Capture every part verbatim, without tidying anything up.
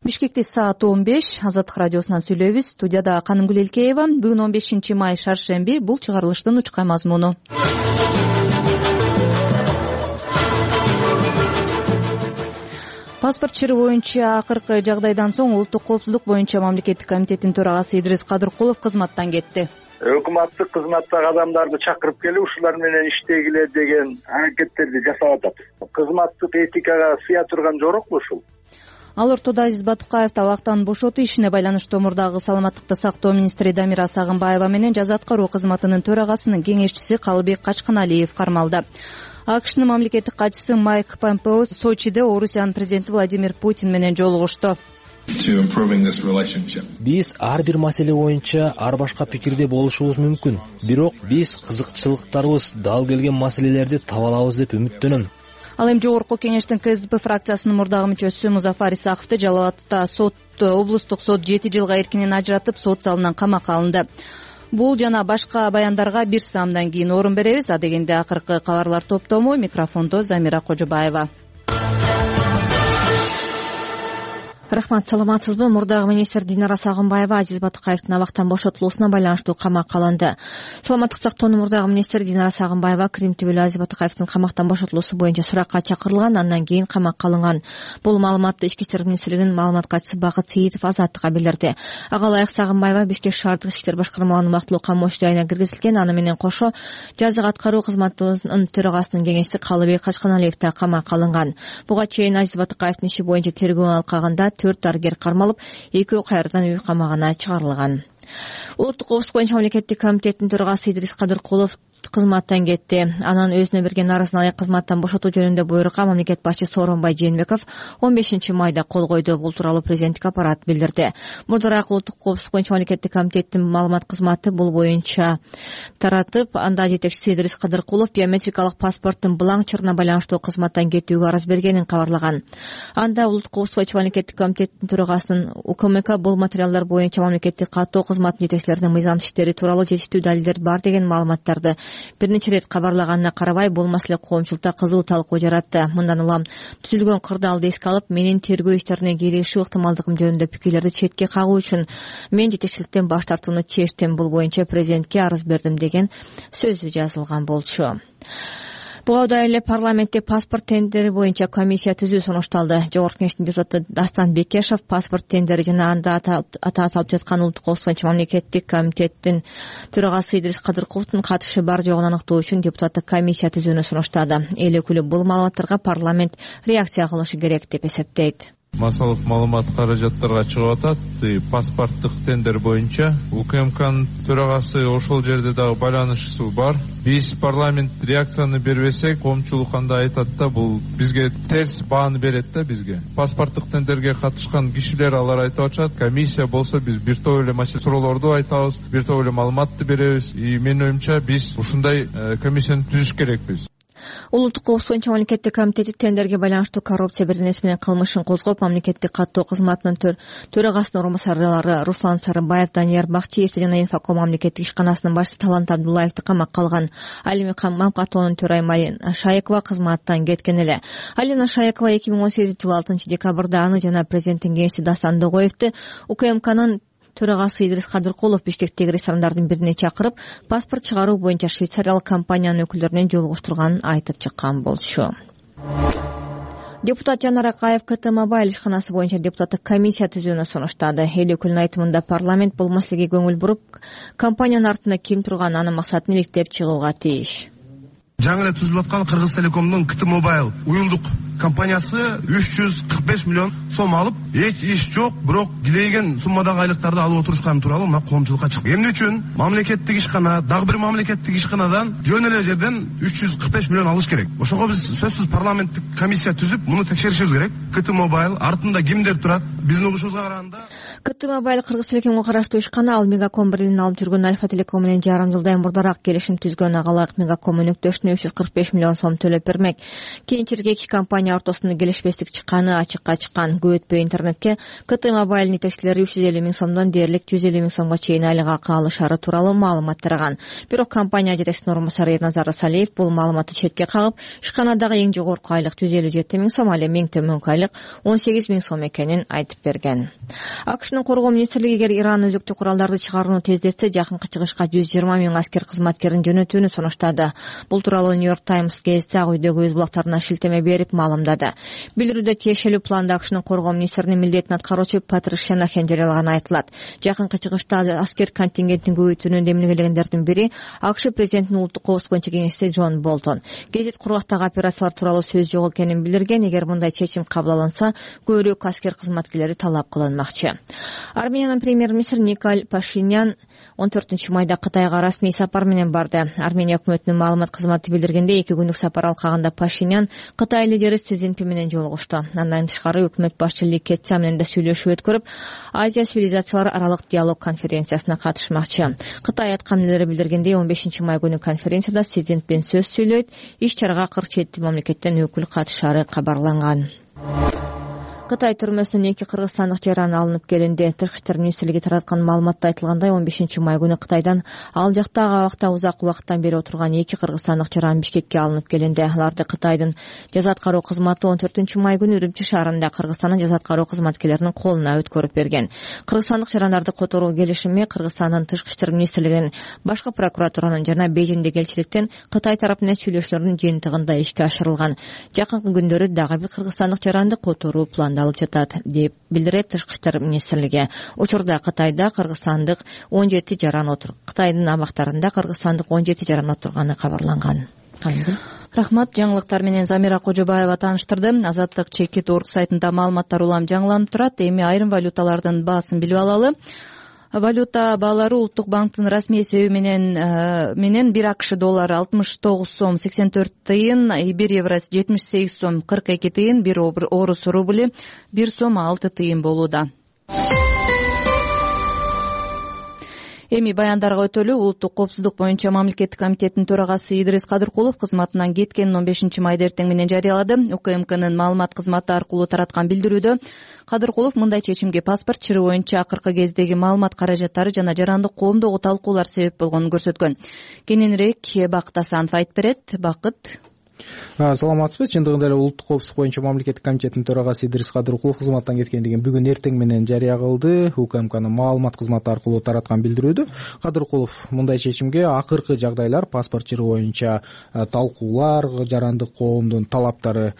Бишкекте саат он беш. Азаттык радиосунан сүйлөйбүз. Студияда Канымгүл Элкеева. Бүгүн он бешинчи май шаршемби. Бул чыгарылыштын учкай мазмуну. Паспорт чыруу боюнча акыркы жагдайдан соң Улуттук коопсуздук боюнча мамлекеттик комитеттин төрагасы Идрис Кадыркулов кызматтан кетти. Өкмөттүк кызматтагы адамдарды чакырып келип ушулар менен иштегиле деген аракеттерди жасап атат. Кызматтык этикага сыя турган жорокпу ушул? Ал ортодо Азиз Батукаев табактан бошотуу ишине байланыштуу мурдагы саламаттыкты сактоо министри Дамира Сагынбаева менен жаза аткаруу кызматынын төрагасынын кеңешчиси Калыбек Качканалиев кармалды. АКШнын мамлекеттик катчысы Майк Помпео Сочиде Орусиянын президенти Владимир Путин менен жолугушту. Биз ар бир маселе боюнча ар башка пикирде болушубуз мүмкүн. Бирок биз кызыкчылыктарыбыз дал келген маселелерди таба алабыз деп үмүттөнөм. Ал эми жогорку кеңештин КСДП фракциясынын мурдагы мүчөсү Музафар Исаковду Жалал Абадта сот облустук сот жети жылга эркинен ажыратып, сот залынан камакка алынды. Бул жана башка баяндарга бир саамдан кийин орун беребиз. А дегенде акыркы кабарлар топтому. Микрофондо Замира Кожобаева. Рахмат, саламатсызбы? Мурдагы министр Динара Сагынбаева Азиз Батукаевдин абактан бошотулуусуна байланыштуу камакка алынды. Саламаттык сактоонун мурдагы министри Динара Сагынбаева Крим түбөлү Азиз Батукаевдин камактан бошотулуусу боюнча суракка чакырылган, андан кийин камакка алынган. Бул маалыматты Ички иштер министрлигинин маалымат катчысы Бакыт Сейитов Азаттыкка билдирди. Ага ылайык Сагынбаева Бишкек шаардык иштер башкармаларынын убактылуу камош жайына киргизилген. Аны менен кошо жаза аткаруу кызматынын төрагасынын кеңешчиси Калыбек Качканалиев да камакка алынган. Буга чейин Азиз Батукаевдин иши боюнча тергөө алкагында төрт дарыгер кармалып, экөө кайрадан үй камагына чыгарылган. Улуттук коопсуздук боюнча мамлекеттик комитеттин төрагасы Идрис Кадыркулов кызматтан кетти. Анан өзүнө берген арызын алек кызматтан бошотуу жөнүндө буйрукка мамлекет башчысы Сооронбай Жээнбеков он бешинчи майда кол койду. Бул тууралуу президенттик аппарат билдирди. Мурдараак Улуттук коопсуздук боюнча мамлекеттик комитеттин маалымат кызматы бул боюнча таратып, анда жетекчиси Идрис Кадыркулов биометрикалык паспорттун булаң чырына байланыштуу кызматтан кетүүгө арыз бергенин кабарлаган. Анда Улуттук коопсуздук боюнча мамлекеттик комитеттин төрагасынын УКМК бул материалдар боюнча мамлекеттик каттоо кызматынын жетекчилеринин мыйзамсыз иштери тууралуу жетиштүү далилдер бар деген маалыматтарды бир нече ирет кабарлаганына карабай, бул маселе коомчулукта кызуу талкуу жаратты. Мындан улам түзүлгөн кырдаалды эске алып, менин тергөө иштерине кийлигишүү ыктымалдыгым жөнүндө пикирлерди четке кагуу үчүн мен жетекчиликтен баш тартууну чечтим. Бул боюнча президентке арыз бердим деген сөзү жазылган болчу. Буга да эле парламентте паспорт тендери боюнча комиссия түзүү сунушталды. Жогорку кеңештин депутаты Дастан Бекешов паспорт тендери жана анда ата аталып жаткан Улуттук коопсуздук боюнча мамлекеттик комитеттин төрагасы Идрис Кадыркуловдун катышы бар жогун аныктоо үчүн депутаттык комиссия түзүүнү сунуштады. Эл өкүлү бул маалыматтарга парламент реакция кылышы керек деп эсептейт. Массалык маалымат каражаттарга чыгып атат. Паспорттук тендер боюнча УКМКнын төрагасы ошол жерде дагы байланышчысы бар. Биз парламент реакцияны бербесек, коомчулук кандай айтат да, бул бизге терс бааны берет да бизге. Паспорттук тендерге катышкан кишилер алар айтып атышат, комиссия болсо биз бир топ эле маселе суроолорду айтабыз, бир топ эле маалыматты беребиз. И менин оюмча биз ушундай комиссияны түзүш керекпиз. Улуттук коопсуздук боюнча мамлекеттик комитети тендерге байланыштуу коррупция беренеси менен кылмышын козгоп, мамлекеттик каттоо кызматынын төрагасынын орун басарлары Руслан Сарыбаев, Данияр Бакчиев жана Инфоком мамлекеттик ишканасынын башчысы Талант Абдуллаевди камакка алган. Ал эми каттоонун төрайымы Алина Шаекова кызматтан кеткен эле. Алина Шаекова эки миң он сегизинчи жылы алтынчы декабрда аны жана президенттин кеңешчиси Дастан Догоевди УКМКнын төрагасы Идрис Кадыркулов Бишкектеги ресторандардын бирине чакырып, паспорт чыгаруу боюнча швейцариялык компаниянын өкүлдөрүнөн жолугуштурганын айтып чыккан болчу. Депутат Жанар Акаев КТ Мобайл ишканасы боюнча депутаттык комиссия түзүүнү сунуштады. Эл өкүлүнүн айтымында парламент бул маселеге көңүл буруп, компаниянын артында ким турган, анын максатын иликтеп чыгууга тийиш. Жаңы эле түзүлүп аткан Кыргыз Телекомдун КТ Мобайл уюлдук компаниясы үч жүз кырк беш миллион сом алып, эч иш жок, бирок килейген суммадагы айлыктарды алып отурушканы тууралуу мына коомчулукка чыкты. Эмне үчүн мамлекеттик ишкана, дагы бир мамлекеттик ишканадан жөн эле жерден үч жүз кырк беш миллион алыш керек. Ошого биз сөзсүз парламенттик комиссия түзүп, муну текшеришибиз керек. КТ Мобайл артында кимдер турат? Биздин угушубузга караганда КТ Мобайл Кыргыз Телекомго караштуу ишкана. Ал Мегаком брендин алып жүргөн Альфа Телеком менен жарым жылдай мурдараак келишим түзгөн. Ага ылайык Мегаком өнөктөштүнүн үчүн үч жүз кырк беш миллион сом төлөп бермек. Кийинчерээк эки компания ортосунда келишпестик чыкканы ачыкка чыккан. Көп өтпөй интернетке КТ Мобайл жетекчилери үч жүз элүү миң сомдон дээрлик жүз элүү миң сомго чейин айлык акы алышары тууралуу маалымат тараган. Бирок компания жетекчисинин орун басары Эрназар Салиев бул маалыматты четке кагып, ишканадагы эң жогорку айлык жүз элүү жети миң сом, ал эми эң төмөнкү айлык он сегиз миң сом экенин айтып берген. АКШнын коргоо министрлиги эгер Иран өзүктүү куралдарды чыгарууну тездетсе, жакынкы чыгышка жүз жыйырма миң аскер кызматкерин жөнөтүүнү сунуштады. Бул тууралуу Нью-Йорк Таймс гезити Ак үйдөгү өз булактарына шилтеме берип маалымдады. Билдирүүдө тиешелүү планды АКШнын коргоо министринин милдетин аткаруучу Патрик Шенахан жарыялаганы айтылат. Жакынкы чыгышта аскер контингентин көбөйтүүнү демилгелегендердин бири АКШ президентинин улуттук коопсуздук боюнча кеңешчиси Джон Болтон. Гезит кургактагы операциялар тууралуу сөз жок экенин билдирген. Эгер мындай чечим кабыл алынса, көбүрөөк аскер кызматкерлери талап кылынмакчы. Армениянын премьер-министри Николай Пашинян он төртүнчү майда Кытайга расмий сапар менен барды. Армения өкмөтүнүн маалымат кызматы билдиргендей, эки күндүк сапар алкагында Пашинян Кытай лидери Си Цзиньпин менен жолугушту. Андан тышкары өкмөт башчы Ли Кэцян менен да сүйлөшүү өткөрүп, Азия цивилизациялар аралык диалог конференциясына катышмакчы. Кытай аткамдылары билдиргендей, он бешинчи май күнү конференцияда Си Цзиньпин сөз сүйлөйт. Иш-чарага кырк жети мамлекеттен өкүл катышары кабарланган. Кытай түрмөсүнөн эки кыргызстандык жаран алынып келинди. Тышкы иштер министрлиги тараткан маалыматта айтылгандай, он бешинчи май күнү Кытайдан ал жактагы абакта узак убакыттан бери отурган эки кыргызстандык жаран Бишкекке алынып келинди. Аларды Кытайдын жаза аткаруу кызматы он төртүнчү май күнү Үрүмчү шаарында Кыргызстандын жаза аткаруу кызматкерлеринин колуна өткөрүп берген. Кыргызстандык жарандарды которуу келишими Кыргызстандын тышкы иштер министрлигинин, башкы прокуратуранын жана Бейжиңдеги элчиликтин Кытай тарапы менен сүйлөшүүлөрүнүн жыйынтыгында ишке ашырылган. Жакынкы күндөрү дагы бир кыргызстандык жаранды которуу план алып жатат, деп билдирет тышкы иштер министрлиги. Учурда Кытайда кыргызстандык он жети жаран отур. Кытайдын абактарында кыргызстандык он жети жаран отурганы кабарланган. Рахмат. Жаңылыктар менен Замира Кожобаева тааныштырды. Азаттык чекит точка орг сайтында маалыматтар улам жаңыланып турат. Эми айрым валюталардын баасын билип алалы. Валюта баалары Улуттук банктын расмий эсеби менен менен бир АКШ доллары алтымыш тогуз сом сексен төрт тыйын, бир евросы жетимиш сегиз сом кырк эки тыйын, бир орус рубли бир сом алты тыйын болууда. Эми баяндарга өтөлү. Улуттук коопсуздук боюнча мамлекеттик комитеттин төрагасы Идрис Кадыркулов кызматынан кеткенин он бешинчи майда эртең менен жарыялады. УКМКнын маалымат кызматы аркылуу тараткан билдирүүдө Кадыркулов мындай чечимге паспорт чыры боюнча акыркы кездеги маалымат каражаттары жана жарандык коомдогу талкуулар себеп болгонун көрсөткөн. Кененирээк Бакыт Асанов айтып берет. Бакыт. Саламатсызбы. Чындыгында эле Улуттук коопсуздук боюнча мамлекеттик комитеттин төрагасы Идрис Кадыркулов кызматтан кеткендигин бүгүн эртең менен жарыя кылды. УКМКнын маалымат кызматы аркылуу тараткан билдирүүдө Кадыркулов мындай чечимге акыркы жагдайлар, паспорт чыры боюнча талкуулар, жарандык коомдун талаптары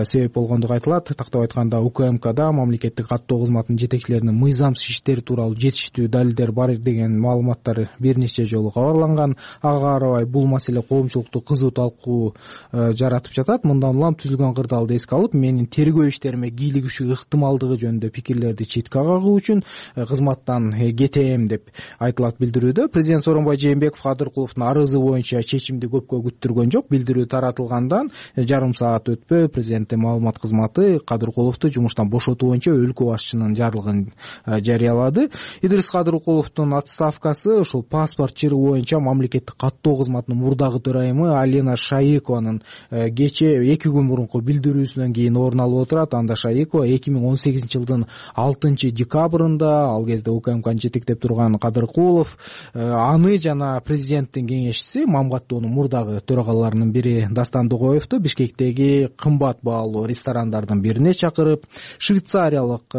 себеп болгондугу айтылат. Тактап айтканда, УКМКда мамлекеттик каттоо кызматынын жетекчилеринин мыйзамсыз иштери тууралуу жетиштүү далилдер бар деген маалыматтар бир нече жолу кабарланган. Ага карабай бул маселе коомчулукту кызуу талкуу жаратып жатат. Мындан улам түзүлгөн кырдаалды эске алып, менин тергөө иштериме кийлигишүү ыктымалдыгы жөнүндө пикирлерди четке кагуу үчүн кызматтан кетем деп айтылат билдирүүдө. Президент Сооронбай Жээнбеков Кадыркуловдун арызы боюнча чечимди көпкө күттүргөн жок. Билдирүү таратылгандан жарым саат өтпөй президенттин маалымат кызматы Кадыркуловду жумуштан бошотуу боюнча өлкө башчынын жарлыгын жарыялады. Идрис Кадыркуловдун отставкасы ушул паспорт чыры боюнча мамлекеттик каттоо кызматынын мурдагы төрайымы Алина Шаикованын кече эки күн мурунку билдирүүсүнөн кийин орун алып отурат. Анда Шаикова эки миң он сегизинчи жылдын алтынчы декабрында, ал кезде УКМКны жетектеп турган Кадыркулов аны жана президенттин кеңешчиси Мамгаттоонун мурдагы төрагаларынын бири Дастан Дугоевду Бишкектеги кымбат баалуу ресторандардын бирине чакырып, швейцариялык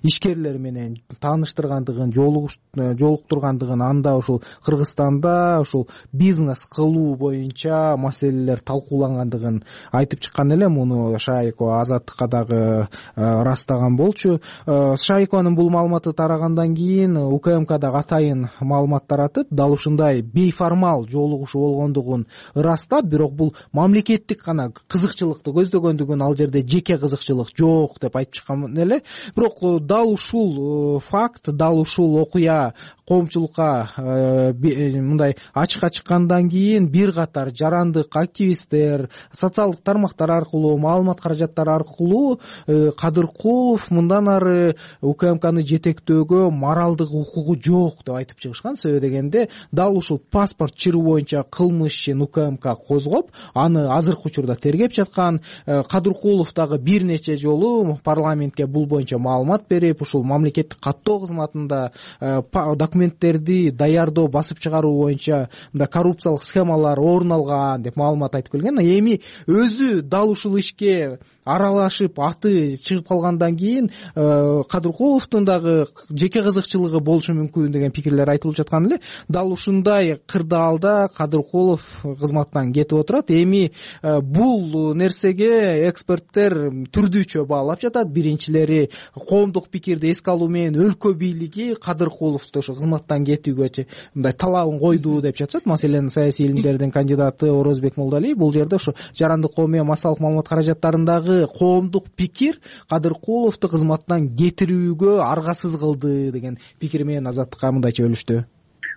ишкерлер менен тааныштыргандыгын, жолуктургандыгын, анда ушул Кыргызстанда ушул бизнес кылуу боюнча маселелер талкуулангандыгын айтып чыккан эле. Муну Шаикова Азаттыкка дагы ырастаган болчу. Шаикованын бул маалыматы тарагандан кийин УКМК дагы атайын маалымат таратып, дал ушундай бейформал жолугушуу болгондугун ырастап, бирок бул мамлекеттик гана кызыкчылыкты көздөгөндүгүн, ал жерде жеке кызыкчылык жок деп айтып чыккан эле. Бирок дал ушул факт, дал ушул окуя коомчулукка мындай ачыкка чыккандан кийин бир катар жарандык активисттер, эксперттер социалдык тармактар аркылуу маалымат каражаттары аркылуу Кадыркулов мындан ары УКМКны жетектөөгө моралдык укугу жок деп айтып чыгышкан. Себеби дегенде дал ушул паспорт чыруу боюнча кылмыш ишин УКМК козгоп, аны азыркы учурда тергеп жаткан. Кадыркулов дагы бир нече жолу парламентке бул боюнча маалымат берип, ушул мамлекеттик каттоо кызматында документтерди даярдоо, басып чыгаруу боюнча мындай коррупциялык схемалар орун алган деп маалымат айтып келген. Эми өзү дал ушул ишке аралашып аты чыгып калгандан кийин Кадыркуловдун дагы жеке кызыкчылыгы болушу мүмкүн деген пикирлер айтылып жаткан эле. Дал ушундай кырдаалда Кадыркулов кызматтан кетип отурат. Эми бул нерсеге эксперттер түрдүүчө баалап жатат. Биринчилери коомдук пикирди эске алуу менен өлкө бийлиги Кадыркуловду ошо кызматтан кетүүгө мындай талабын койду деп жатышат. Маселен, саясий илимдердин кандидаты Орозбек Молдалиев бул жерде ошо жарандык коомий массалык маалымат каражаттарындагы коомдук пикир Кадыркуловду кызматтан кетирүүгө аргасыз кылды деген пикир менен Азаттыкка мындайча бөлүштү.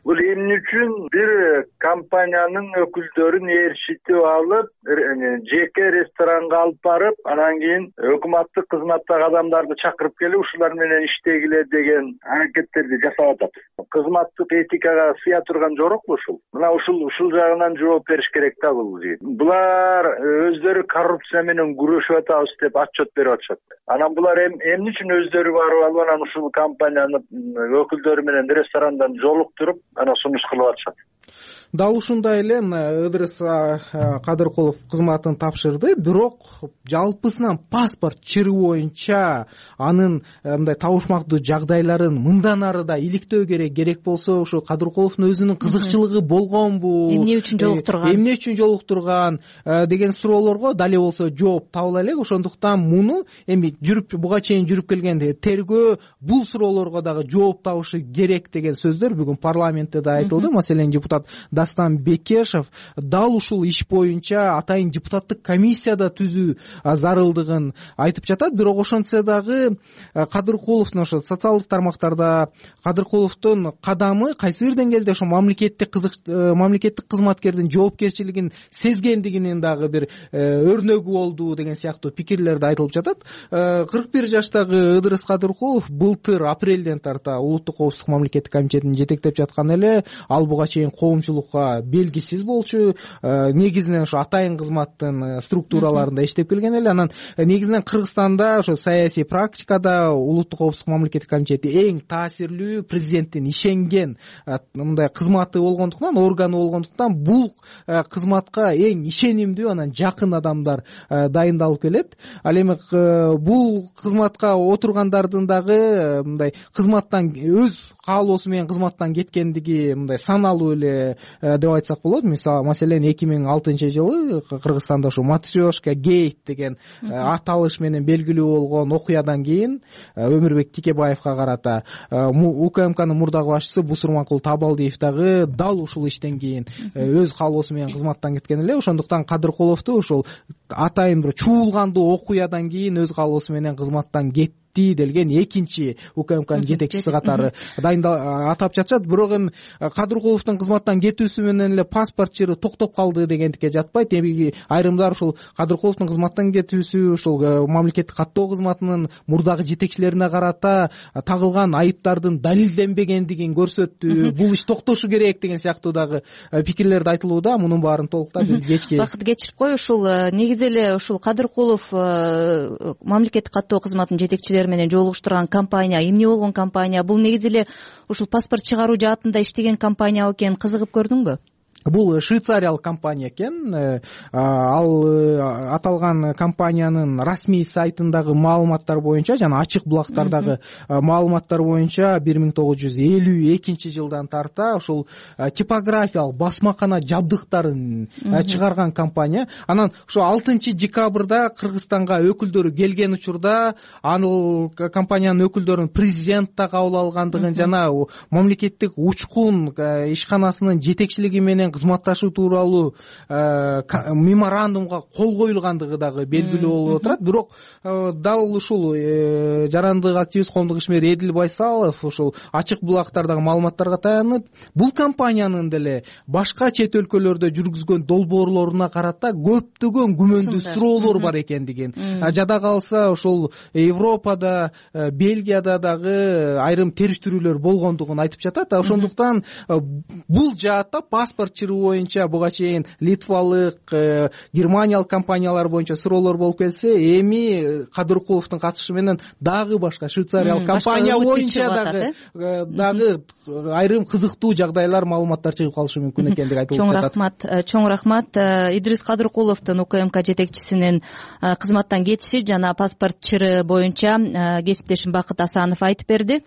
Бул эмне үчүн бир компаниянын өкүлдөрүн ээрчитип алып, жеке ресторанга алып барып, анан кийин өкмөттүк кызматтагы адамдарды чакырып келип, ушулар менен иштегиле деген аракеттерди жасап атат. Кызматтык этикага сыя турган жорокпу ушул? Мына ушул ушул жагынан жооп бериш керек да бул жигит. Булар өздөрү коррупция менен күрөшүп атабыз деп отчет берип атышат. Анан булар эмне үчүн өздөрү барып алып, анан ушул компанияны өкүлдөрү менен ресторандан жолуктуруп ана сунуш кылып атышат. Дал ушундай эле Ыдырыс Кадыркулов кызматын тапшырды, бирок жалпысынан паспорт чыруу боюнча анын мындай табышмактуу жагдайларын мындан ары да иликтөө керек. Керек болсо ушу Кадыркуловдун өзүнүн кызыкчылыгы болгонбу? Эмне үчүн жолуктурган? Эмне үчүн жолуктурган деген суроолорго дали болсо жооп табыла элек. Ошондуктан муну эми жүрүп буга чейин жүрүп келген тергөө бул суроолорго дагы жооп табышы керек деген сөздөр бүгүн парламентте да айтылды. Маселен, депутат Дастан Бекешев дал ушул иш боюнча атайын депутаттык комиссияда түзүү зарылдыгын айтып жатат. Бирок ошентсе дагы Кадыркуловдун ошо социалдык тармактарда Кадыркуловдун кадамы кайсы бир деңгээлде ошо мамлекеттик кызык мамлекеттик кызматкердин жоопкерчилигин сезгендигинин дагы бир өрнөгү болду деген сыяктуу пикирлерди айтылып жатат. кырк бир жаштагы Ыдырыс Кадыркулов былтыр апрелден тарта улуттук коопсуздук мамлекеттик комитетин жетектеп жаткан эле. Ал буга чейин коомчулук белгисиз болчу, негизинен ошо атайын кызматтын структураларында иштеп келген эле. Анан негизинен Кыргызстанда ошо саясий практикада улуттук коопсуздук мамлекеттик комитети эң таасирлүү, президенттин ишенген мындай кызматы болгондуктан, органы болгондуктан бул кызматка эң ишенимдүү, анан жакын адамдар дайындалып келет. Ал эми бул кызматка отургандардын дагы мындай кызматтан өз каалоосу менен кызматтан кеткендиги мындай саналуу эле деп айтсак болот. Мисалы, маселен эки миң алтынчы жылы Кыргызстанда ушу Матрешка гейт деген аталыш менен белгилүү болгон окуядан кийин Өмүрбек Тикебаевга карата УКМКнын мурдагы башчысы Бусурманкул Табалдиев дагы дал ушул иштен кийин өз каалоосу менен кызматтан кеткен эле. Ошондуктан Кадыркуловду ушул атайын бир чуулгандуу окуядан кийин өз каалоосу менен кызматтан кетти делген экинчи УКМКнын жетекчиси катары дайындал атап жатышат. Бирок эми Кадыркуловдун кызматтан кетүүсү менен эле паспорт чыруу токтоп калды дегендикке жатпайт. Эми айрымдар ушул Кадыркуловдун кызматтан кетүүсү ушул мамлекеттик каттоо кызматынын мурдагы жетекчилерине карата тагылган айыптардын далилденбегендигин көрсөттү. Бул иш токтошу керек деген сыяктуу дагы пикирлерди айтылууда. Мунун баарын толуктап биз кечки бакыт кечирип кой. Ушул негизи эле ушул Кадыркулов мамлекеттик каттоо кызматынын жетекчилери менен жолугуштурган компания эмне болгон компания? Бул негизи эле ушул паспорт чыгаруу жаатында иштеген компания экенин кызыгып көрдүңбү? Бул швейцариялык компания экен. Ал аталган компаниянын расмий сайтындагы маалыматтар боюнча жана ачык булактардагы маалыматтар боюнча бир миң тогуз жүз элүү экинчи жылдан тарта ушул типографиялык басмакана жабдыктарын чыгарган компания. Анан ошо алтынчы декабрда Кыргызстанга өкүлдөрү келген учурда ал компаниянын өкүлдөрүн президент да кабыл алгандыгын жана мамлекеттик учкун ишканасынын жетекчилиги менен менен кызматташуу тууралуу меморандумга кол коюлгандыгы дагы белгилүү болуп отурат. Бирок дал ушул жарандык активист, коомдук ишмер Эдил Байсалов ушул ачык булактардагы маалыматтарга таянып, бул компаниянын деле башка чет өлкөлөрдө жүргүзгөн долбоорлоруна карата көптөгөн күмөндүү суроолор бар экендигин, жада калса ошол Европада, Бельгияда дагы айрым териштирүүлөр болгондугун айтып жатат. Ошондуктан бул жаатта паспорт чыруу боюнча буга чейин литвалык, германиялык компаниялар боюнча суроолор болуп келсе, эми Кадыркуловдун катышы менен дагы башка швейцариялык компания боюнча дагы дагы айрым кызыктуу жагдайлар, маалыматтар чыгып калышы мүмкүн экендиги айтылып жатат. Чоң рахмат, чоң рахмат. Идрис Кадыркуловдун УКМК жетекчисинин кызматтан кетиши жана паспорт чырыы боюнча кесиптешим Бакыт Асанов айтып берди.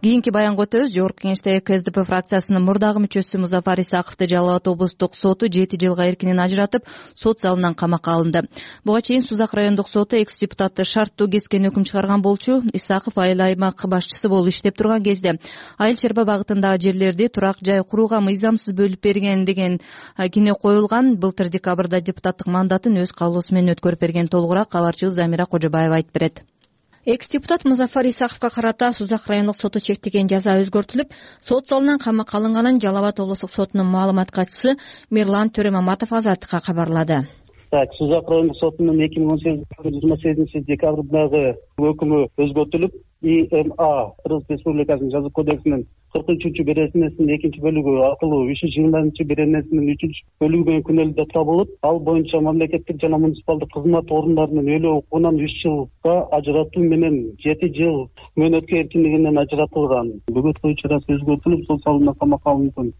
Кийинки баянга өтөбүз. Жогорку Кеңештеги КСДП фракциясынын мурдагы мүчөсү Музафар Исаковду Жалал Абад облустук соту жети жылга эркинен ажыратып, сот залынан камакка алынды. Буга чейин Сузак райондук соту экс депутатты шарттуу кескен өкүм чыгарган болчу. Исаков айыл аймак башчысы болуп иштеп турган кезде Айыл Чарба багытындагы жерлерди турак жай курууга мыйзамсыз бөлүп берген деген кине коюлган. Былтыр декабрда депутаттык мандатын өз каалоосу менен өткөрүп берген. Толугураак кабарчыбыз Замира Кожобаева айтып берет. Экс-депутат Музафар Исаковго карата Сузак райондук соту чектеген жаза өзгөртүлүп, сот залынан камакка алынганын Жалал Абад облустук сотунун маалымат катчысы Мирлан Төрөмаматов Азаттыкка кабарлады. Так, Сузак райондук сотунун эки миң он сегизинчи жыйырма сегизинчи декабрдагы өкүмү өзгөртүлүп, И М А Кыргыз Республикасынын жаза кодексинин кырк үчүнчү беренесинин экинчи бөлүгү аркылуу үч жүз жыйырманчы беренесинин үчүнчү бөлүгү менен күнөөлүү деп табылып, ал боюнча мамлекеттик жана муниципалдык кызмат орундарынын өлүү укугунан үч жылга ажыратуу менен жети жыл мөөнөткө эркиндигинен ажыратылган. Бүгүнкү чарасы өзгөртүлүп, сот залына камакка алынган.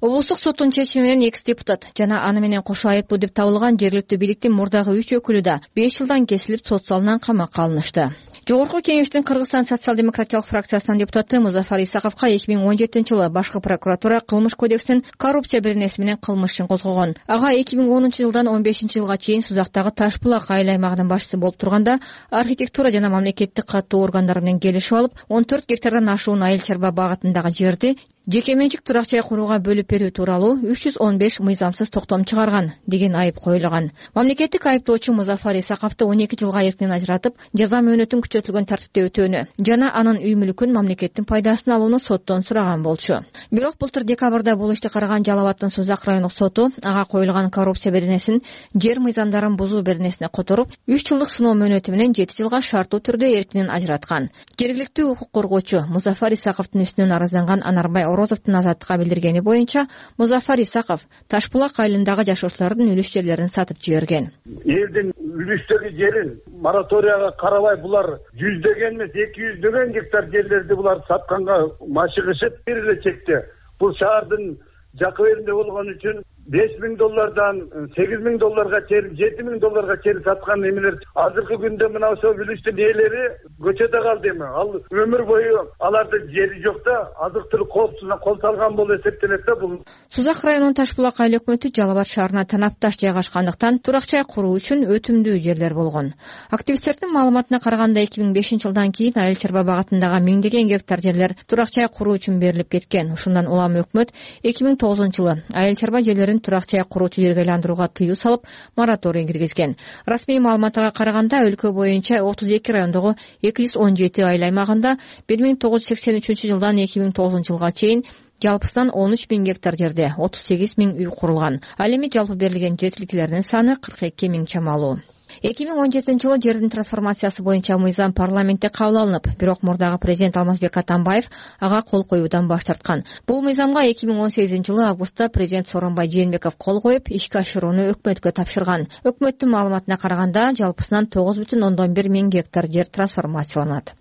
Облустук соттун чечими менен экс-депутат жана аны менен кошо айыптуу деп табылган жергиликтүү бийликтин мурдагы үч өкүлү да беш жылдан кесилип, сот залынан камакка алынышты. Жогорку Кеңештин Кыргызстан социал-демократиялык фракциясынын депутаты Музафар Исаковго эки миң он жетинчи жылы башкы прокуратура кылмыш кодексинин коррупция беренеси менен кылмыш ишин козгогон. Ага эки миң онунчу жылдан он бешинчи жылга чейин Сузактагы Таш булак айыл аймагынын башчысы болуп турганда, архитектура жана мамлекеттик каттуу органдар менен келишип алып, он төрт гектардан ашуун Айыл Чарба багытындагы жерди жеке менчик турак жай курууга бөлүп берүү тууралуу үч жүз он беш мыйзамсыз токтом чыгарган деген айып коюлган. Мамлекеттик айыптоочу Музафар Исаковду он эки жылга эркинен ажыратып, жаза мөөнөтүн күчөтүлгөн тартипте өтөөнү жана анын үй мүлкүн мамлекеттин пайдасын алууну соттон сураган болчу. Бирок былтыр декабрда бул ишти караган Жалал Абаддын Сузак райондук соту ага коюлган коррупция беренесин жер мыйзамдарын бузуу беренесине которуп, үч жылдык сыноо мөөнөтү менен жети жылга шарттуу түрдө эркинен ажыраткан. Жергиликтүү укук коргоочу Музафар Исаковдун үстүнөн арызданган Анарбай Орозовдун Азаттыкка билдиргени боюнча, Музафар Исаков Ташбулак айылындагы жашоочулардын үлүш жерлерин сатып жиберген. Элдин үлүштөгү жерин мораторияга карабай булар жүздөгөн эмес, эки жүздөгөн гектар жерлерди булар сатканга машыгышып, бир эле чекте бул шаардын жакы беринде болгон үчүн беш миң доллардан сегиз миң долларга чейин, жети миң долларга чейин саткан эмелер азыркы күндө мына ошол үлүштүн ээлери көчөдө калды эми. Ал өмүр бою алардын жери жок да, азык-түлүк коопсузуна кол салган болуп эсептелет да бул. Сузак районунун Ташбулак айыл өкмөтү Жалал Абад шаарына танапташ жайгашкандыктан турак жай куруу үчүн өтүмдүү жерлер болгон. Активисттердин маалыматына караганда эки миң бешинчи жылдан кийин Айыл Чарба багытындагы миңдеген гектар жерлер турак жай куруу үчүн берилип кеткен. Ушундан улам өкмөт эки миң тогузунчу жылы Айыл Чарба жерлерин турак жай куруучу жерге айландырууга тыюу салып, мораторий киргизген. Расмий маалыматка караганда өлкө боюнча отуз эки райондогу эки жүз он жети айыл аймагында бир миң тогуз жүз сексен үчүнчү жылдан эки миң тогузунчу жылга чейин жалпысынан он үч миң гектар жерде отуз сегиз миң үй курулган. Ал эми жалпы берилген жер тилкелеринин саны кырк эки миң чамалуу. эки миң он жетинчи жылы жердин трансформациясы боюнча мыйзам парламентте кабыл алынып, бирок мурдагы президент Алмазбек Атамбаев ага кол коюудан баш тарткан. Бул мыйзамга эки миң он сегизинчи жылы августта президент Сооронбай Жээнбеков кол коюп, ишке ашырууну өкмөткө тапшырган. Өкмөттүн маалыматына караганда жалпысынан тогуз бүтүн ондон бир миң гектар жер трансформацияланат.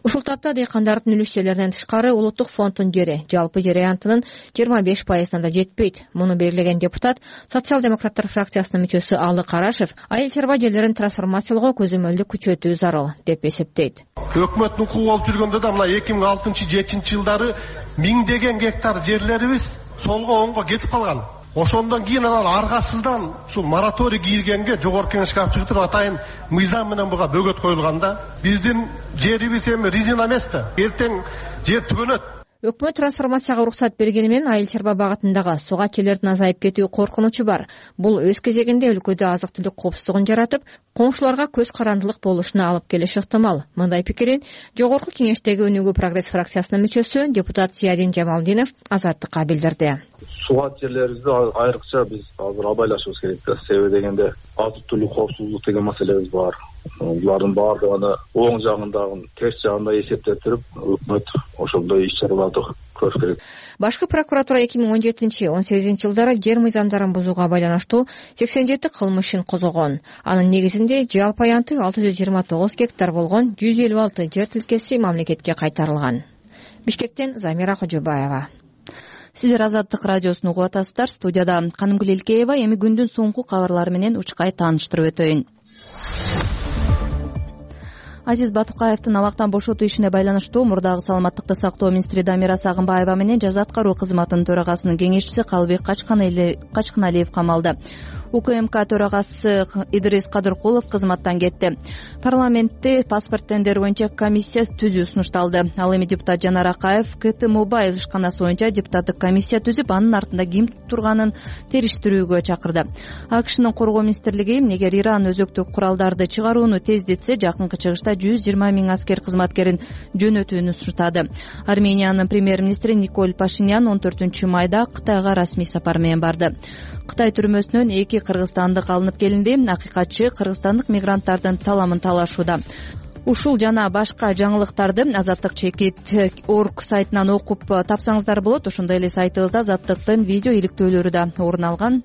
Ушул тапта дыйкандардын үлүш жерлеринен тышкары улуттук фонддун жери жалпы жер аянтынын жыйырма беш пайызына да жетпейт. Муну белгилеген депутат, социал-демократтар фракциясынын мүчөсү Алы Карашев Айыл Чарба жерлерин трансформациялоого көзөмөлдү күчөтүү зарыл деп эсептейт. Өкмөттүн укугу болуп жүргөндө да мына эки миң алтынчы жетинчи жылдары миңдеген гектар жерлерибиз солго оңго кетип калган. ошондон кийин анан аргасыздан ушул мораторий кийилгенге жогорку кеңешке алып чыгып атайын мыйзам менен буга бөгөт коюлган да. Биздин жерибиз эми резина эмес да. Эртең жер түгөнөт. Өкмөт трансформацияга уруксат бергени менен айыл чарба багытындагы суга чөйлөрдүн азайып кетүү коркунучу бар. Бул өз кезегинде өлкөдө азык-түлүк коопсуздугун жаратып, коңшуларга көз карандылык болушуна алып келиши ыктымал. Мындай пикирин жогорку кеңештеги Өнүгүү прогресс фракциясынын мүчөсү депутат Зиядин Жамалдинов Азаттыкка билдирди. Суга жерлерибизди айрыкча биз азыр абайлашыбыз керек да. Себеби дегенде азык-түлүк коопсуздук деген маселебиз бар. Булардын баардыгын оң жагындагы терс жагында эсептеп туруп, өкмөт ошондой иш-чараларды көрүш керек. Башкы прокуратура эки миң он жетинчи он сегизинчи жылдары жер мыйзамдарын бузууга байланыштуу сексен жети кылмыш ишин козгогон. Анын негизинде жалпы аянты алты жүз жыйырма тогуз гектар болгон жүз элүү алты жер тилкеси мамлекетке кайтарылган. Бишкектен Замира Кожобаева. Сиздер Азаттык радиосун угуп атасыздар. Студияда Канымгүл Элкеева. Эми күндүн соңку кабарлары менен учкай тааныштырып өтөйүн. Азиз Батукаевдин абактан бошотуу ишине байланыштуу мурдагы саламаттыкты сактоо министри Дамира Сагынбаева менен жаза аткаруу кызматынын төрагасынын кеңешчиси Калыбек Качканалиев камалды. УКМК төрагасы Идрис Кадыркулов кызматтан кетти. Парламентте паспорт тендери боюнча комиссия түзүү сунушталды. Ал эми депутат Жанар Акаев КТ Мобайл ишканасы боюнча депутаттык комиссия түзүп, анын артында ким турганын териштирүүгө чакырды. АКШнын коргоо министрлиги эгер Иран өзөктүк куралдарды чыгарууну тездетсе, жакынкы чыгышта жүз жыйырма миң аскер кызматкерин жөнөтүүнү сунуштады. Армениянын премьер-министри Николь Пашинян он төртүнчү майда Кытайга расмий сапар менен барды. Кытай түрмөсүнөн эки кыргызстандык алынып келинди. Акыйкатчы кыргызстандык мигранттардын таламын талашууда. Ушул жана башка жаңылыктарды Азаттык чекит точка орг сайтынан окуп тапсаңыздар болот. Ошондой эле сайтыбызда Азаттыктын видео иликтөөлөрү да орун алган.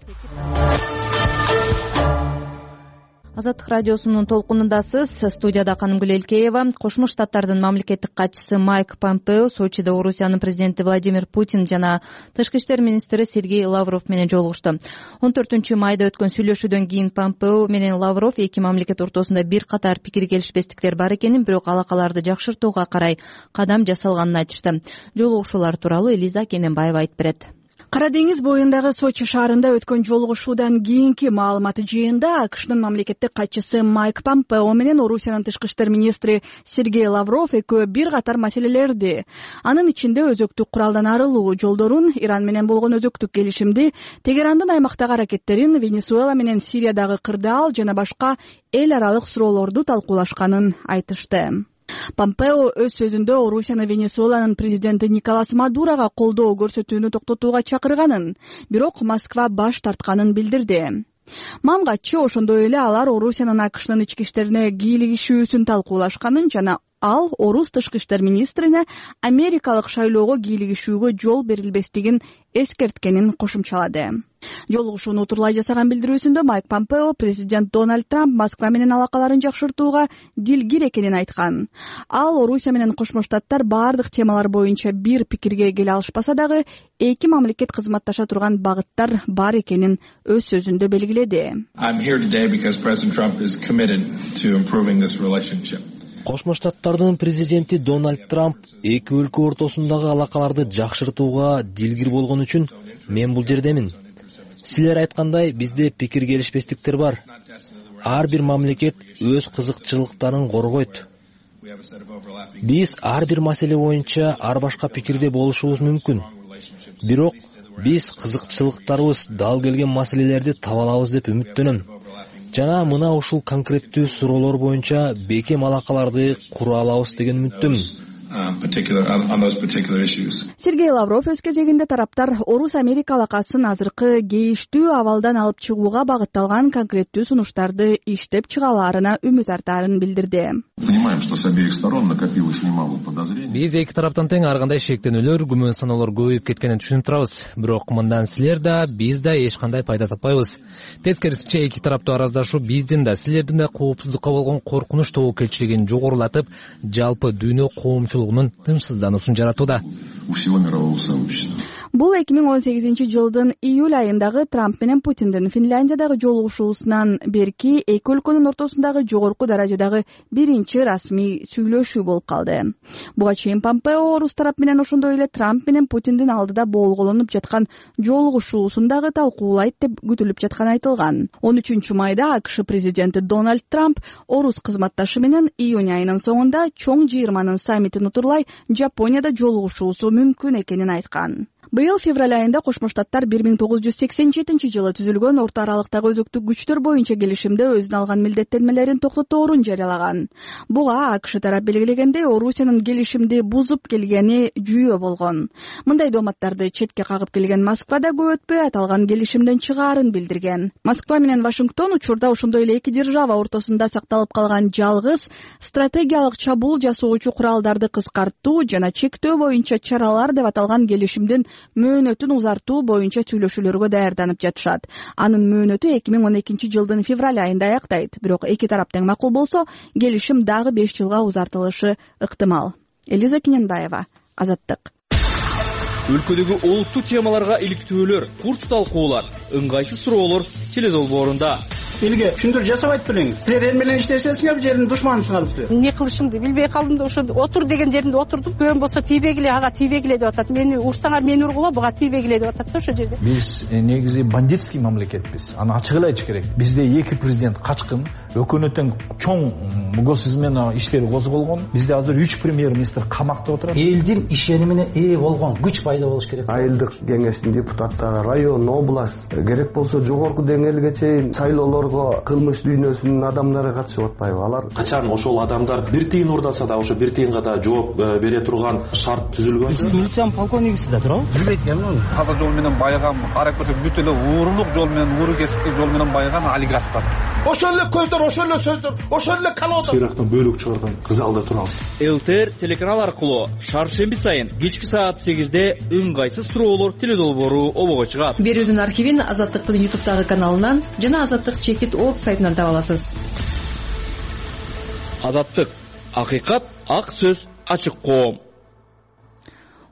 Азаттык радиосунун толкунундасыз. Студияда Канымгүл Элкеева. Кошмо Штаттардын мамлекеттик катчысы Майк Помпео Сочиде Орусиянын президенти Владимир Путин жана тышкы иштер министри Сергей Лавров менен жолугушту. он төртүнчү майда өткөн сүйлөшүүдөн кийин Помпео менен Лавров эки мамлекет ортосунда бир катар пикир келишпестиктер бар экенин, бирок алакаларды жакшыртууга карай кадам жасалганын айтышты. Жолугушуулар тууралуу Элиза Кененбаева айтып берет. Кара деңиз боюндагы Сочи шаарында өткөн жолугушуудан кийинки маалымат жыйында АКШнын мамлекеттик катчысы Майк Помпео менен Орусиянын тышкы иштер министри Сергей Лавров экөө бир катар маселелерди, анын ичинде өзөктүк куралдан арылуу жолдорун, Иран менен болгон өзөктүк келишимди, Тегерандын аймактагы аракеттерин, Венесуэла менен Сириядагы кырдаал жана башка эл аралык суроолорду талкуулашканын айтышты. Помпео өз сөзүндө Орусияны Венесуэланын президенти Николас Мадурога колдоо көрсөтүүнү токтотууга чакырганын, бирок Москва баш тартканын билдирди. Мамгатчы ошондой эле алар Орусиянын АКШнын ички иштерине кийлигишүүсүн талкуулашканын жана ал орус тышкы иштер министрине америкалык шайлоого кийлигишүүгө жол берилбестигин эскерткенин кошумчалады. Жолугушууну утурлай жасаган билдирүүсүндө Майк Помпео президент Дональд Трамп Москва менен алакаларын жакшыртууга дилгир экенин айткан. Ал Орусия менен Кошмо Штаттар баардык темалар боюнча бир пикирге келе алышпаса дагы эки мамлекет кызматташа турган багыттар бар экенин өз сөзүндө белгиледи. Кошмо Штаттардын президенти Дональд Трамп эки өлкө ортосундагы алакаларды жакшыртууга дилгир болгон үчүн мен бул жердемин. Силер айткандай, бизде пикир келишпестиктер бар. Ар бир мамлекет өз кызыкчылыктарын коргойт. Биз ар бир маселе боюнча ар башка пикирде болушубуз мүмкүн. Бирок биз кызыкчылыктарыбыз дал келген маселелерди таба алабыз деп үмүттөнөм. Жана мына ушул конкреттүү суроолор боюнча бекем алакаларды кура алабыз деген үмүттөмүн. Сергей Лавров өз кезегинде тараптар Орус-Америка алакасын азыркы кейиштүү абалдан алып чыгууга багытталган конкреттүү сунуштарды иштеп чыга алаарына үмүт артаарын билдирди. Биз эки тараптан тең ар кандай шектенүүлөр, күмөн саноолор көбөйүп кеткенин түшүнүп турабыз. Бирок мындан силер да, биз да эч кандай пайда таппайбыз. Тескерисинче эки тараптуу араздашуу биздин да, силердин да коопсуздукка болгон коркунуч тобокелчилигин жогорулатып, жалпы дүйнө коомчулугунун тынчсыздануусун жаратууда. Бул эки миң он сегизинчи жылдын июль айындагы Трамп менен Путиндин Финляндиядагы жолугушуусунан берки эки өлкөнүн ортосундагы жогорку даражадагы биринчи расмий сүйлөшүү болуп калды. Буга чейин Помпео орус тарап менен ошондой эле Трамп менен Путиндин алдыда болголонуп жаткан жолугушуусун дагы талкуулайт деп күтүлүп жатканы айтылган. он үчүнчү майда АКШ президенти Дональд Трамп орус кызматташы менен июнь айынын соңунда чоң жыйырманын саммитин утурлай Жапонияда жолугушуусу мүмкүн экенин айткан. Быйыл февраль айында Кошмо Штаттар бир миң тогуз жүз сексен жетинчи жылы түзүлгөн орто аралыктагы өзөктүк күчтөр боюнча келишимде өзүнө алган милдеттенмелерин токтоторун жарыялаган. Буга АКШ тарап белгилегендей Орусиянын келишимди бузуп келгени жүйө болгон. Мындай дооматтарды четке кагып келген Москва да көп өтпөй аталган келишимден чыгаарын билдирген. Москва менен Вашингтон учурда ошондой эле эки держава ортосунда сакталып калган жалгыз стратегиялык чабуул жасоочу куралдарды кыскартуу жана чектөө боюнча чаралар деп аталган келишимдин мөөнөтүн узартуу боюнча сүйлөшүүлөргө даярданып жатышат. Анын мөөнөтү эки миң он экинчи жылдын февраль айында аяктайт. Бирок эки тарап тең макул болсо, келишим дагы беш жылга узартылышы ыктымал. Элиза Кененбаева, Азаттык. Өлкөдөгү олуттуу темаларга иликтөөлөр, курс талкуулар, ыңгайсыз суроолор теледолбоорунда. Элге түшүндүрүү жасабайт белеңиз. Силер эл менен иштешесиңер, жердин душманысыңарбыз. Эмне кылышымды билбей калдым да ошо отур деген жеринде отурдум. Көн болсо тийбегиле, ага тийбегиле деп атат. Мени урсаңар мени ургула, буга тийбегиле деп атат да ошо жерде. Биз негизи бандитский мамлекетпиз. Аны ачык эле айтыш керек. Бизде эки президент качкын, өкөнөт тең чоң госизмена иштери козголгон. Бизде азыр үч премьер-министр камакта отурат. Элдин ишенимине ээ болгон күч пайда болуш керек. Айылдык кеңештин депутаттары, район, область, керек болсо жогорку деңгээлге чейин шайлоолор кылмыш дүйнөсүнүн адамдары катышып атпайбы? Алар качан ошол адамдар бир тыйын урдаса да ошо бир тыйынга да жооп бере турган шарт түзүлгөн. Сиз милициянын полковнигисиз да туурабы? Билбейт экенмин. Каза жол менен байган, карап көрсөк бүт эле уурулук жол менен, ууру кесиптик жол менен байган олигархтар. Ошол эле көздөр, ошол эле сөздөр, ошол эле калоодор. Ирактан бөлүк чыгарган залда турабыз. ЛТР телеканал аркылуу шаршемби сайын кечки саат сегизде ыңгайсыз суроолор теледолбоору обого чыгат. Берүүнүн архивин Азаттыктын ютубтагы каналынан жана Азаттык чекит орг сайтынан таба аласыз. Азаттык, акыйкат, ак сөз, ачык коом.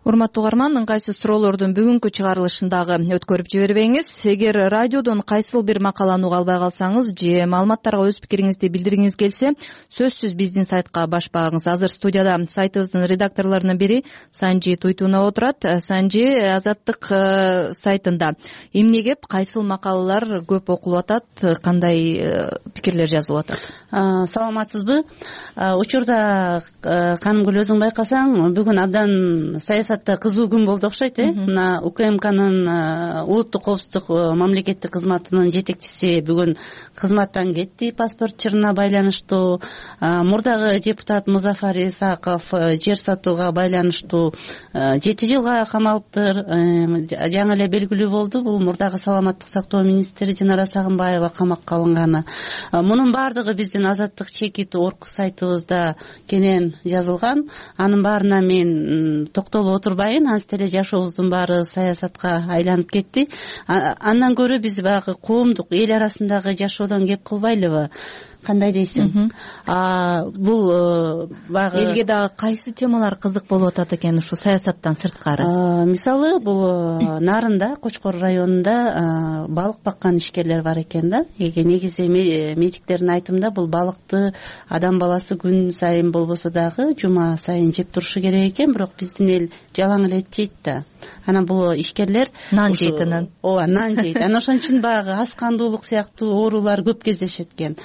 Урматтуу угарман, ыңгайсыз суроолордун бүгүнкү чыгарылышындагы өткөрүп жибербеңиз. Эгер радиодон кайсыл бир макаланы уга албай калсаңыз же маалыматтарга өз пикириңизди билдиргиңиз келсе, сөзсүз биздин сайтка баш багыңыз. Азыр студияда сайтыбыздын редакторлорунун бири Санжи Туйтунов отурат. Санжи, Азаттык сайтында эмне кеп, кайсыл макалалар көп окулуп атат, кандай пикирлер жазылып атат? Саламатсызбы? Учурда Канымгүл өзүң байкасаң, бүгүн абдан саясатта кызуу күн болду окшойт, э? Мына УКМКнын улуттук коопсуздук мамлекеттик кызматынын жетекчиси бүгүн кызматтан кетти паспорт чырына байланыштуу. Мурдагы депутат Музафар Исаков жер сатууга байланыштуу жети жылга камалыптыр. Жаңы эле белгилүү болду, бул мурдагы саламаттык сактоо министри Динара Сагынбаева камакка алынганы. Мунун баардыгы биздин Азаттык чекит орг сайтыбызда кенен жазылган. Анын баарына мен токтолуп отурбайын, анысы деле жашообуздун баары саясатка айланып кетти. Андан көрө биз баягы коомдук, эл арасындагы жашоодон кеп кылбайлыбы? Кандай дейсиң? Бул баягы элге дагы кайсы темалар кызык болуп атат экен ушу саясаттан сырткары? Мисалы, бул Нарында, Кочкор районунда балык баккан ишкерлер бар экен да. Негизи медиктердин айтымында бул балыкты адам баласы күн сайын болбосо дагы жума сайын жеп турушу керек экен, бирок биздин эл жалаң эле жейт да. Анан бул ишкерлер нан жейт анан. Ооба, нан жейт. Анан ошон үчүн баягы ас кандуулук сыяктуу оорулар көп кездешет экен.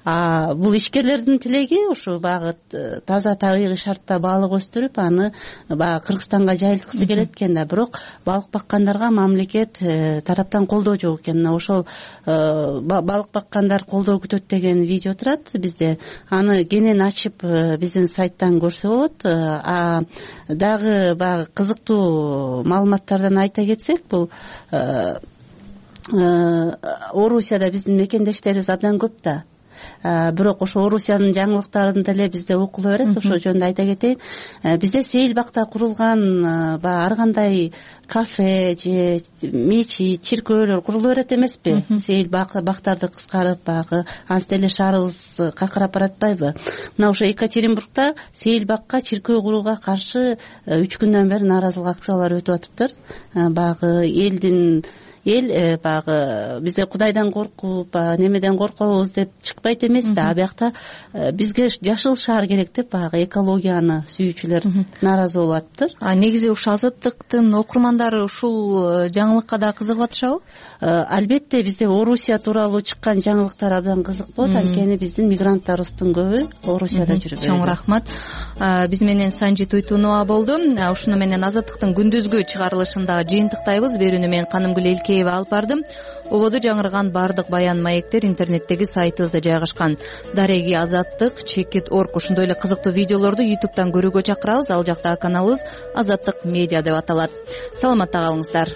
А бул ишкерлердин тилеги ушу баягы таза табигый шартта балык өстүрүп, аны баягы Кыргызстанга жайылткысы келет экен да. Бирок балык баккандарга мамлекет тараптан колдоо жок экен. Ошол балык баккандар колдоо күтөт деген видео турат бизде. Аны кенен ачып биздин сайттан көрсө болот. А дагы баягы кызыктуу маалыматтардан айта кетсек, бул Орусияда биздин мекендештерибиз абдан көп да. бирок ошо орусиянын жаңылыктарын деле бизде окуло берет. Ошол жөнүндө айта кетейин, бизде Сейилбакта курулган баягы ар кандай кафе же мечит, чиркөөлөр курулу берет эмеспи? Сейилбактарды кыскарып баягы анча деле шаарыбыз какырап баратпайбы? Мына ошо Екатеринбургда Сейилбакка чиркөө курууга каршы үч күндөн бери нааразылык акциялары өтүп атыптыр. Баягы элдин эл баягы бизде Кудайдан коркуп, немеден коркобуз деп чыкпайт эмеспи? А биякта бизге жашыл шаар керек деп баягы экологияны сүйүүчүлөр нааразы болуп атыптыр. А негизи ушул Азаттыктын окурмандары ушул жаңылыкка да кызыгып атышабы? Албетте бизде Орусия тууралуу чыккан жаңылыктар абдан кызык болот, анткени биздин мигранттарыбыздын көбү Орусияда жүрөт. Чоң рахмат. Биз менен Санжи Туйтунова болду. Ушуну менен Азаттыктын күндүзгү чыгарылышындагы жыйынтыктайбыз. Берүүнү мен Канымгүл Элкеева алып бардым. Ободо жаңырган баардык баян маектер интернеттеги сайтыбызда жайгашкан. Дареги Азаттык, чекит точка орг ошондой эле кызыктуу видеолорду ютубтан көрүүгө чакырабыз. Ал жактагы каналыбыз Азаттык медиа деп аталат. Саламатта калыңыздар.